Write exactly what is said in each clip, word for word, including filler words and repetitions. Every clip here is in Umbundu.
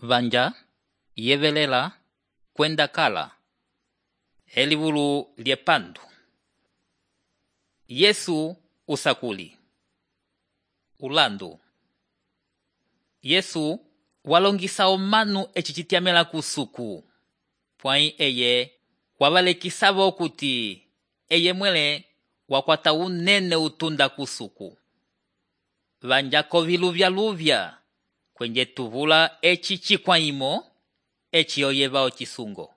vanja, yevelela, kwenda kala. Elivulu liepandu. Yesu usakuli. Ulandu. Yesu walongisa omanu eci citiamela kusuku. Pwai eye wavalekisavo kuti eye mwele wakwata unene utunda kusuku. Vanja koviluvya luvya kwenye tuvula eci chikwaimo eci oyeva ochisungo.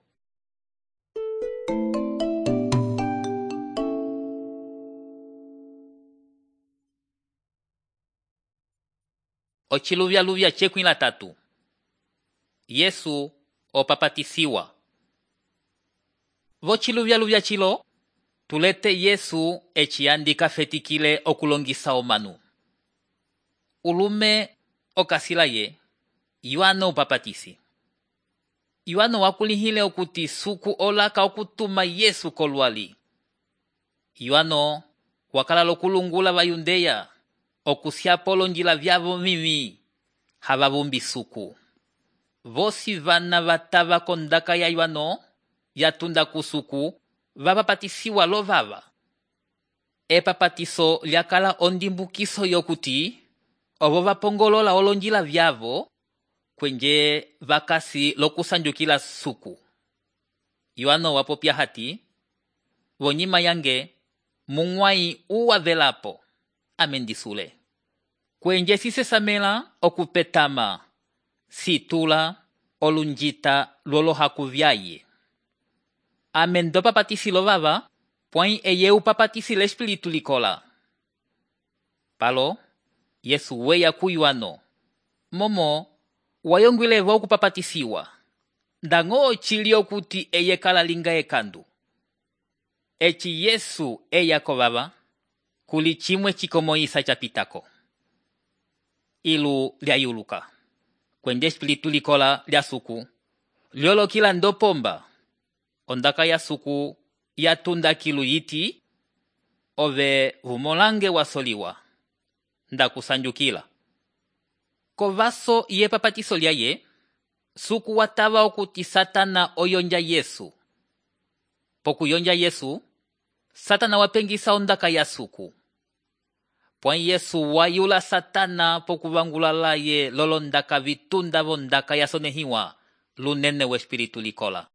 Ochiluvya luvya chekwila tatu. Yesu opapatisiwa. Vochiluvya luvya chilo, tulete Yesu eci andika fetikile okulongisa omanu. Ulume okasila ye, Yohano upapatisi. Yohano wakulihile okuti suku olaka okutuma Yesu kolwali. Yohano wakala lokulungula va Yundeya, okusiapo lonjila vyavo mimi, havavumbi suku. Vosi vana vatava kondaka ya Yohano, yatunda kusuku, vapapatisiwa lovava. Epapatiso lyakala ondimbukiso yokuti, ovo vapongolola olonjila vyavo, kwenye vakasi lokusanjukila suku. Yohano wapopya hati, vonyima yange, mungwai uwa velapo, amendisule. Kwenye sisesamela okupetama, situla, olunjita, lolo hakuvyaye. Amendo papatisi lovava, pwai eye upapatisi l'espiritu likola. Palo, Yesu weya ku Yohano. Momo, wayongwilevo okupapatisiwa. Ndango chilio kuti eye kala linga ekandu. Eci Yesu eya kovava, kuli chimwe chikomoisa chapitako. Ilu liayuluka. Kwenye espiritu likola lia suku, liolo kila ndopomba. Ondaka ya suku yatunda kilu yiti, ove vumolange wasoliwa. Ndakusanjukila. Kovaso ye papatiso liaye, suku watava okuti Satana oyonja Yesu. Poku yonja Yesu, Satana wapengisa ondaka ya suku. Pwai Yesu wayula Satana poku vangulala ye lolondaka vitunda vondaka ya sonehiwa lunene we espiritu likola.